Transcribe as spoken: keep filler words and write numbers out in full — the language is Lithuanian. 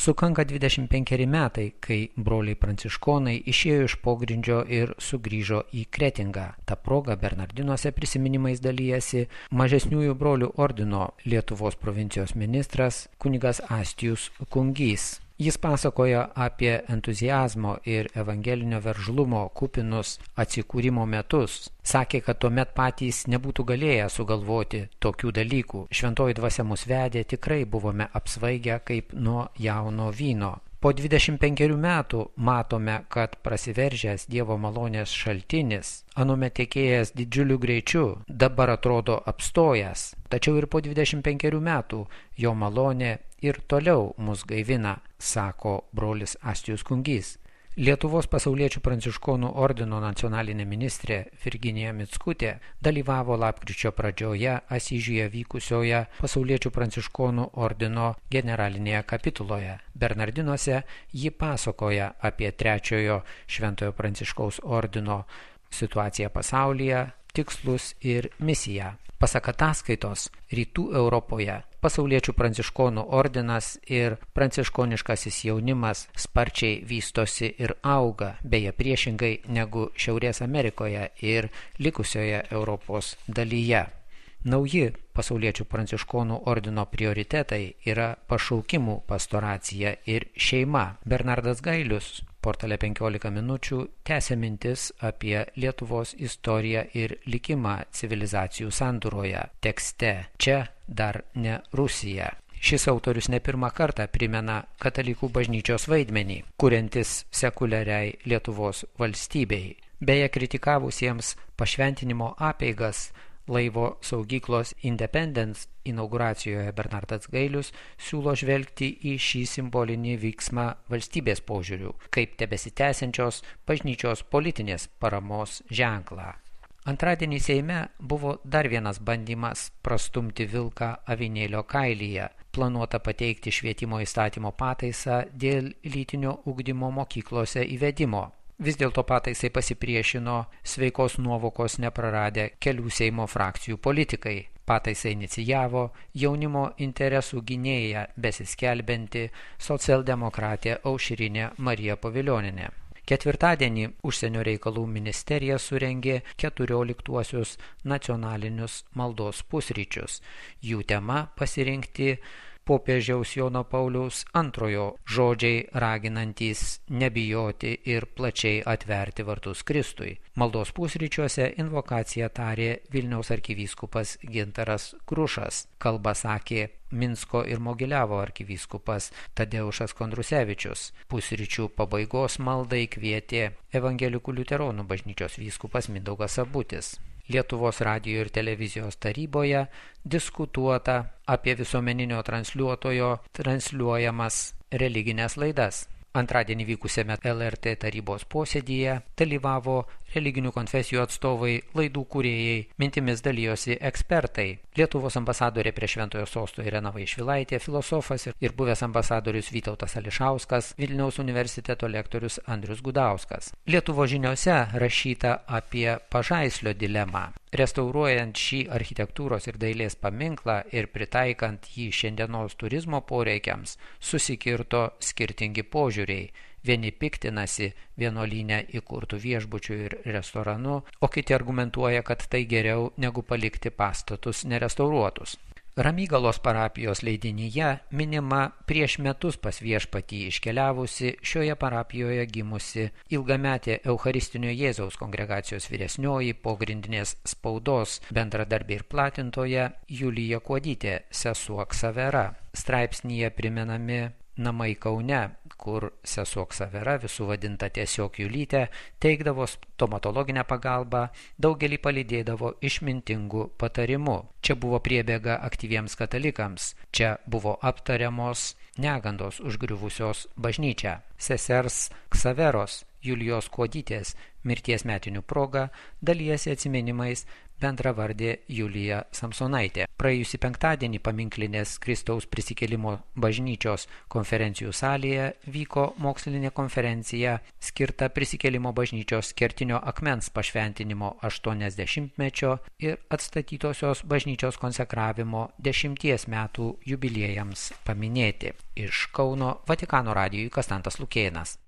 Sukanka dvidešimt penkeri metai, kai broliai pranciškonai išėjo iš pogrindžio ir sugrįžo į Kretingą. Ta proga Bernardinuose prisiminimais dalyjasi mažesniųjų brolių ordino Lietuvos provincijos ministras kunigas Astijus Kungys. Jis pasakoja apie entuziazmo ir evangelinio veržlumo kupinus atsikūrimo metus. Sakė, kad tuomet patys nebūtų galėję sugalvoti tokių dalykų. Šventoji dvasia mus vedė, tikrai buvome apsvaigę kaip nuo jauno vyno. Po dvidešimt penkerių metų matome, kad prasiveržęs Dievo malonės šaltinis, anuomet tekėjęs didžiuliu greičiu, dabar atrodo apstojęs. Tačiau ir po dvidešimt penkerių metų jo malonė ir toliau mus gaivina, sako brolis Astijus Kungys. Lietuvos pasauliečių pranciškonų ordino nacionalinė ministrė Virginija Mickutė dalyvavo lapkričio pradžioje Asyžiuje vykusioje pasauliečių pranciškonų ordino generalinėje kapituloje. Bernardinuose ji pasakoja apie trečiojo Šventojo Pranciškaus ordino situaciją pasaulyje, tikslus ir misiją. Pasak ataskaitos, Rytų Europoje pasauliečių pranciškonų ordinas ir pranciškoniškasis jaunimas sparčiai vystosi ir auga, beje priešingai negu Šiaurės Amerikoje ir likusioje Europos dalyje. Nauji pasauliečių pranciškonų ordino prioritetai yra pašaukimų pastoracija ir šeima. Bernardas Gailius portale penkiolika minučių tęsia mintis apie Lietuvos istoriją ir likimą civilizacijų sandūroje. Tekste čia dar ne Rusija. Šis autorius ne pirmą kartą primena katalikų bažnyčios vaidmenį, kuriantis sekuliariai Lietuvos valstybei. Beje, kritikavusiems pašventinimo apeigas laivo saugyklos Independence inauguracijoje Bernardas Gailius siūlo žvelgti į šį simbolinį vyksmą valstybės požiūrių, kaip tebesitęsiančios bažnyčios politinės paramos ženklą. Antradienį Seime buvo dar vienas bandymas prastumti vilką avinėlio kailyje. Planuota pateikti švietimo įstatymo pataisą dėl lytinio ugdymo mokyklose įvedimo. Vis dėlto pataisai pasipriešino sveikos nuovokos nepraradę kelių Seimo frakcijų politikai. Pataisai inicijavo jaunimo interesų gynėja besiskelbianti socialdemokratė Aušrinė Marija Povilionienė. Ketvirtadienį Užsienio reikalų ministerija surengė keturioliktuosius nacionalinius maldos pusryčius. Jų tema pasirinkti popiežiaus Jono Pauliaus antrojo žodžiai raginantys nebijoti ir plačiai atverti vartus Kristui. Maldos pusryčiuose invokaciją tarė Vilniaus arkivyskupas Gintaras Krušas. Kalbą sakė Minsko ir Mogiliavo arkivyskupas Tadeušas Kondrusevičius. Pusryčių pabaigos maldai kvietė Evangelikų liuteronų bažnyčios vyskupas Mindaugas Sabutis. Lietuvos radijo ir televizijos taryboje diskutuota apie visuomeninio transliuotojo transliuojamas religinės laidas. Antradienį vykusiame L R T tarybos posėdyje dalyvavo religinių konfesijų atstovai, laidų kūrėjai, mintimis dalijosi ekspertai. Lietuvos ambasadorė prie Šventojo sosto Irena Vaišvilaitė, filosofas ir buvęs ambasadorius Vytautas Ališauskas, Vilniaus universiteto lektorius Andrius Gudauskas. Lietuvos žiniose rašyta apie Pažaislio dilemą. Restauruojant šį architektūros ir dailės paminklą ir pritaikant jį šiandienos turizmo poreikiams, susikirto skirtingi požiūriai. Vieni piktinasi vienuolyne įkurtų viešbučių ir restoranu, o kiti argumentuoja, kad tai geriau negu palikti pastatus nerestauruotus. Ramygalos parapijos leidinyje minima prieš metus pas viešpatį iškeliavusi šioje parapijoje gimusi ilgametė Eucharistinio Jėzaus kongregacijos vyresnioji pogrindinės spaudos bendradarbė ir platintoja Julija Kuodytė, sesuo Ksavera. Straipsnyje primenami namai Kaune, kur sesuo Ksavera, visų vadinta tiesiog Julytė, teikdavo stomatologinę pagalbą, daugelį palydėdavo išmintingų patarimų. Čia buvo priebėga aktyviems katalikams, čia buvo aptariamos negandos užgriuvusios bažnyčią. Sesers Ksaveros Julijos Kuodytės mirties metinių proga dalijasi atsiminimais bendravardė Julija Samsonaitė. Praėjusį penktadienį paminklinės Kristaus prisikėlimo bažnyčios konferencijų salėje vyko mokslinė konferencija skirta prisikėlimo bažnyčios kertinio akmens pašventinimo aštuoniasdešimtmečio ir atstatytosios bažnyčios konsekravimo dešimties metų jubiliejams paminėti. Iš Kauno Vatikano radijui Kastantas Lukėnas.